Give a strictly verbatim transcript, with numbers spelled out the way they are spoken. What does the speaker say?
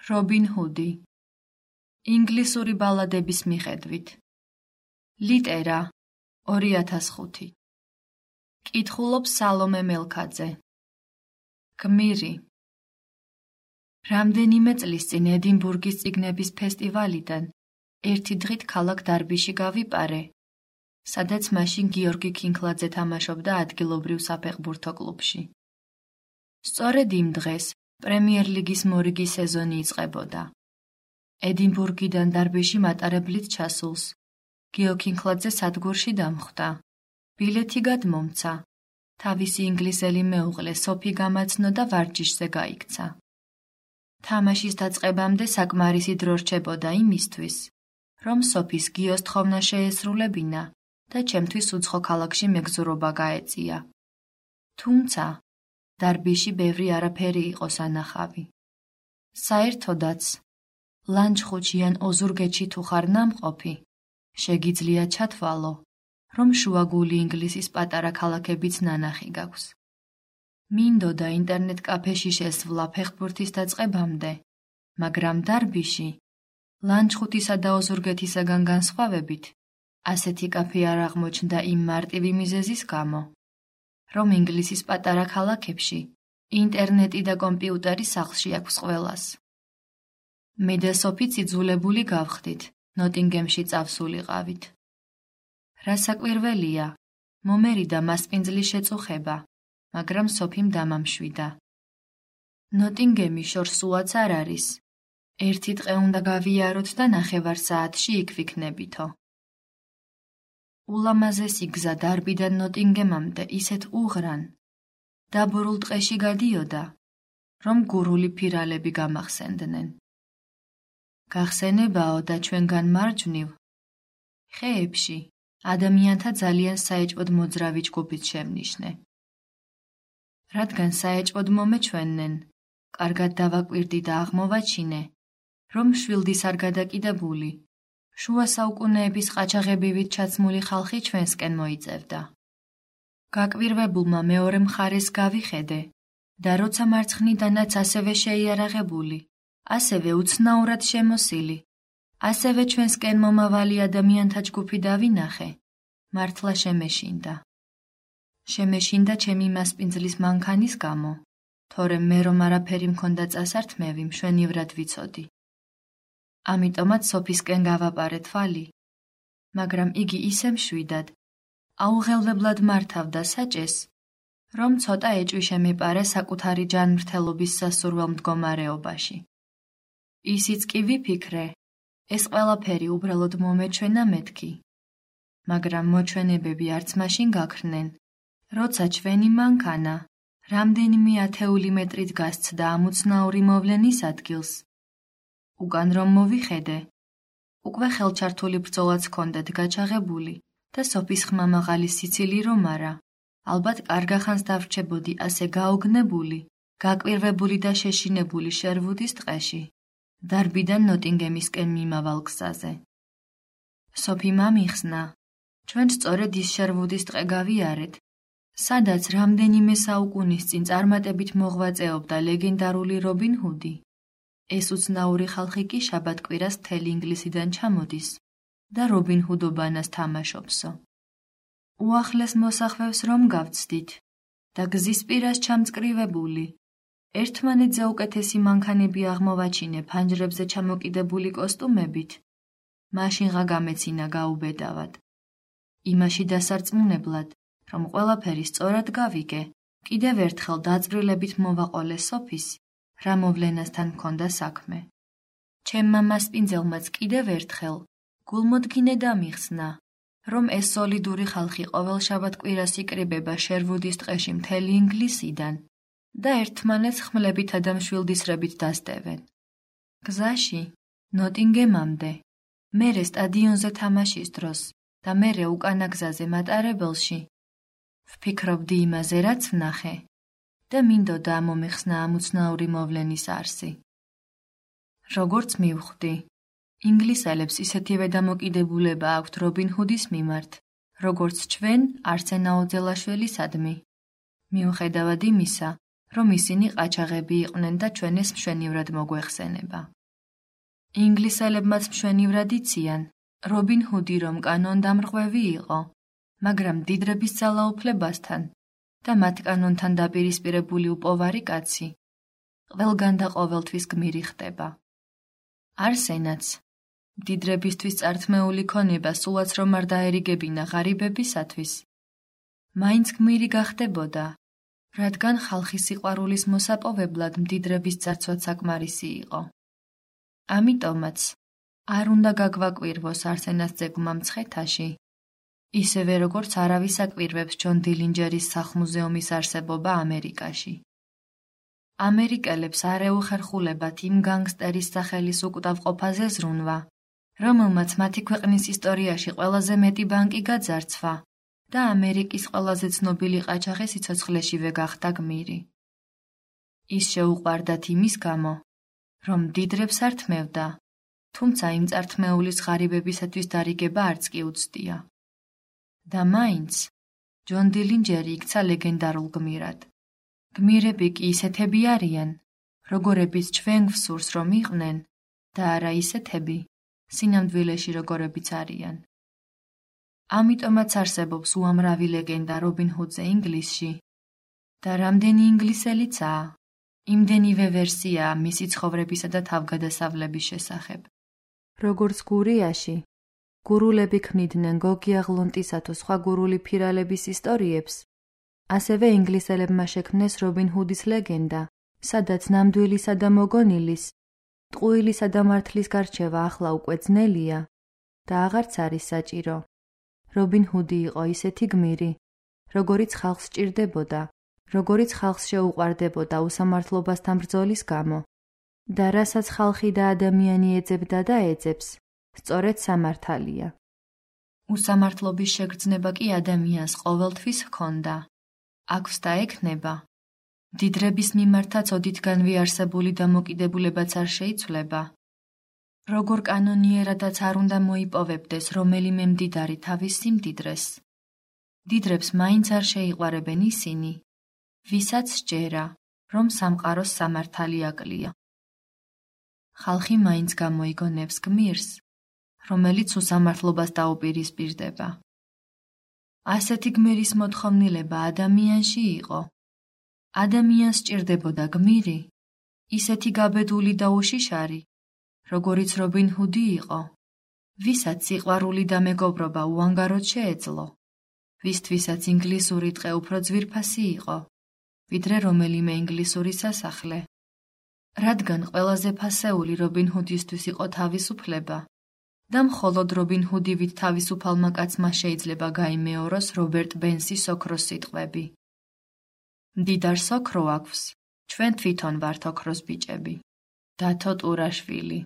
რობინ ჰუდი. ინგლისური ბალადების მიხედვით. ლიტერა ორი ათას ხუთი. კითხულობს სალომე მელქაძე. გმირი. რამდენიმე წლის წინ ედინბურგის წიგნების ფესტივალიდან ერთი დღით ქალაქ დარბიში გავიპარე, სადაც მაშინ გიორგი ქინქლაძე თამაშობდა ადგილობრივ საფეხბურთო კლუბში. სწორედ იმ დღეს პრემიერ ლიგის მორიგი სეზონი იწყებოდა. ედინბურგიდან დარბიში მატარებლით ჩასულს გიო ქინქლაძე სადგურში დამხვდა. ბილეთი გადმომცა. თავისი ინგლისელი მეუღლე სოფი გამაცნო და ვარჯიშზე გაიქცა. თამაშის დაწყებამდე საკმარისი დრო რჩებოდა იმისთვის, რომ სოფის გიოს თხოვნა შეესრულებინა და ჩემთვის უცხო ქალაქში მეგზურობა გაეწია. თუმცა დარბიში ბევრი არაფერი იყო სანახავი. საერთოდაც, ლანჩხუთში ან ოზურგეთში თუ ხარ ნამყოფი, შეგიძლია ჩათვალო, რომ შუაგული ინგლისის პატარა ქალაქებიც ნანახი გაქვს. მინდოდა ინტერნეტ კაფეში შესვლა ფეხბურთის დაწყებამდე, მაგრამ დარბიში, ლანჩხუთისა და ოზურგეთისაგან განსხვავებით, ასეთი კაფე არ აღმოჩნდა იმ მარტივი მიზეზის გამო, რომ ინგლისის პატარა ქალაქებში ინტერნეტი და კომპიუტერი სახლში აქვს ყველას. მე და სოფიც იძულებული გავხდით, ნოტინგემში წავსულიყავით. რასაკვირველია, მომერიდა მასპინძლის შეწუხება, მაგრამ სოფიმ დამამშვიდა. ნოტინგემი შორს სულაც არ არის. ერთი დღე უნდა გავიაროთ და ნახევარ საათში იქ ვიქნებითო. ულამაზესი გზა დარბიდან ნოტინგემამდე ისეთ უღრან, დაბურულ ტყეში გადიოდა, რომ გურული ფირალები გამახსენდნენ. გახსენებაო და ჩვენგან მარჯვნივ, ხეებში, ადამიანთა ძალიან საეჭვოდ მოძრავი ჯგუფით შემნიშნე. რადგან საეჭვოდ მომეჩვენენ, კარგად დავაკვირდი და აღმოვაჩინე, რომ შვილდის არ გადაკიდებული, შუა საუკუნეების ყაჩაღებივით ჩაცმული ხალხი ჩვენსკენ მოიწევდა. გაკვირვებულმა მეორე მხარეს გავიხედე და როცა მარცხნიდანაც ასევე შეიარაღებული, ასევე უცნაურად შემოსილი, ასევე ჩვენსკენ მომავალი ადამიანთა ჯგუფი დავინახე, მართლა შემეშინდა. შემეშინდა ჩემი მასპინძლის მანქანის გამო, თორემ მე რომ არაფერი მქონდა წასართმევი, მშვენივრად ვიცოდი. ამიტომაც სოფისკენ გავაპარე თვალი, მაგრამ იგი ისე მშვიდად, აუღელებლად მართავდა საჭეს, რომ ცოტა ეჭვი შემეპარა საკუთარი ჯანმრთელობის სასურველ მდგომარეობაში. ისიც კი ვიფიქრე, ეს ყველაფერი უბრალოდ მომეჩვენა მეთქი, მაგრამ მოჩვენებები არც მაშინ გაქრნენ, როცა ჩვენი მანქანა რამდენიმე ათეული მეტრით გასცდა ამ უცნაური მოვლენის ადგილს. უკან რომ მოვიხედე, უკვე ხელჩართული ბრძოლაც ჰქონდათ გაჩაღებული და სოფის ხმამაღალი სიცილი რომ არა, ალბათ კარგახანს დავრჩებოდი ასე გაოგნებული, გაკვირვებული და შეშინებული შერვუდის ტყეში, დარბიდან ნოტინგემისკენ მიმავალ გზაზე. სოფიმ ამიხსნა, ჩვენ სწორედ ის შერვუდის ტყე გავიარეთ, სადაც რამდენიმე საუკუნის წინ წარმატებით მოღვაწეობდა ლეგენდარული რობინ ჰუდი. ეს უცნაური ხალხი კი შაბათ-კვირას მთელი ინგლისიდან ჩამოდის და რობინ ჰუდობანას თამაშობსო. უახლეს მოსახლეებს რომ გავცდით და გზის პირას ჩამწკრივებული, ერთმანეთზე უკეთესი მანქანები აღმოვაჩინე ფანჯრებზე ჩამოკიდებული კოსტუმებით, მაშინღა გამეცინა გაუბედავად. იმაში დასარწმუნებლად, რომ ყველაფერი სწორად გავიგე, კიდევ ერთხელ დაძვრილებით მოვაყოლე სოფის, რა მოვლენასთან მქონდა საქმე. ჩემმა მასპინძელმაც კიდევ ერთხელ გულმოდგინე დამიხსნა, რომ ეს სოლიდური ხალხი ყოველ შაბათ-კვირას იკრიბება შერვუდის ტყეში მთელი ინგლისიდან და ერთმანეთს ხმლებითა და მშვილდისრებით დასდევენ. გზაში, ნოტინგემამდე, მერე სტადიონზე თამაშის დროს და მერე უკანა გზაზე მატარებელში, ვფიქრობდი იმაზე, რაც ვნახე და მინდოდა ამომეხსნა ამ უცნაური მოვლენის არსი. როგორც მივხვდი, ინგლისელებს ისეთივე დამოკიდებულება აქვთ რობინ ჰუდის მიმართ, როგორც ჩვენ არსენ აუძელაშვილისადმი. მიუხედავად იმისა, რომ ისინი ყაჩაღები იყვნენ და ჩვენ ეს მშვენივრად მოგვეხსენება. ინგლისელებმაც მშვენივრად იციან, რობინ ჰუდი რომ კანონდამრღვევი იყო, მაგრამ მდიდრების ძალაუფლებასთან და მათ კანონთან დაპირისპირებული უპოვარი კაცი ყველგან და ყოველთვის გმირი ხდება. არსენაც მდიდრებისთვის წართმეული ქონება სულაც რომ არ დაერიგებინა ღარიბებისათვის, მაინც გმირი გახდებოდა, რადგან ხალხის სიყვარულის მოსაპოვებლად მდიდრების წარსვაც საკმარისი იყო. ამიტომაც არ უნდა გაგვაკვირვოს არსენას ძეგლმა მცხეთაში, ისევე როგორც არავის აკვირვებს ჯონ დილინჯერის სახლ-მუზეუმის არსებობა ამერიკაში. ამერიკელებს არ ეუხერხულებათ იმ განგსტერის სახელის უკვდავყოფაზე ზრუნვა, რომელმაც მათი ქვეყნის ისტორიაში ყველაზე მეტი ბანკი გაძარცვა და ამერიკის ყველაზე ცნობილი ყაჩაღი სიცოცხლეშივე გახდა გმირი. ის შეუყვარდათ იმის გამო, რომ მდიდრებს არ თმევდა, თუმცა იმ წართმეულის ღარიბებისათვის დარიგება არც კი უცდია. და მაინც ჯონ დილინჯერი იქცა ლეგენდარულ გმირად. გმირები კი ისეთები არიან, როგორებიც ჩვენ გვსურს რომ იყვნენ და არა ისეთები, სინამდვილეში როგორებიც არიან. ამიტომაც არსებობს უამრავი ლეგენდა რობინ ჰუდზე ინგლისში და რამდენი ინგლისელიცაა, იმდენივე ვერსიაა მისი ცხოვრებისა და თავგადასავლების შესახებ. როგორც გურიაში, გურულები ქმნიდნენ გოგი აღლონტისა თუ სხვა გურული ფირალების ისტორიებს, ასევე ინგლისელებმა შექმნეს რობინ ჰუდის ლეგენდა, სადაც ნამდვილისა და მოგონილის, ტყუილისა და მართლის გარჩევა ახლა უკვე ძნელია და აღარც არის საჭირო. რობინ ჰუდი იყო ისეთი გმირი, როგორიც ხალხს სჭირდებოდა, როგორიც ხალხს შეუყვარდებოდა უსამართლობასთან ბრძოლის გამო და რასაც ხალხი და ადამიანი ეძებდა და ეძებს, სწორედ სამართალია. უსამართლობის შეგრძნება კი ადამიანს ყოველთვის ჰქონდა, აქვს და ექნება. მდიდრების მიმართაც ოდითგანვე არსებული დამოკიდებულებაც არ შეიცვლება. როგორ კანონიერადაც არ უნდა მოიპოვებდეს რომელიმე მდიდარი თავის სიმდიდრეს. მდიდრებს მაინც არ შეიყვარებენ ისინი, ვისაც სჯერა, რომ სამყაროს სამართალი აკლია. ხალხი მაინც გამოიგონებს გმირს, რომელიც უსამართლობას დაუპირისპირდება. ასეთი გმირის მოთხოვნილება ადამიანში იყო. ადამიანს სჭირდებოდა გმირი, ისეთი გაბედული და უშიშარი, როგორიც რობინ ჰუდი იყო, ვისაც სიყვარული და მეგობრობა უანგაროდ შეეძლო, ვისთვისაც ინგლისური ტყე უფრო ძვირფასი იყო, ვიდრე რომელიმე ინგლისური სასახლე. რადგან ყველაზე ფასეული რობინ ჰუდისთვის იყო თავისუფლება და მხოლოდ რობინ ჰუდივით თავისუფალმა კაცმა შეიძლება გაიმეოროს რობერტ ბენსის ოქროს სიტყვები. მდიდარს ოქრო აქვს, ჩვენ თვითონ ვართ ოქროს ბიჭები. დათო ტურაშვილი.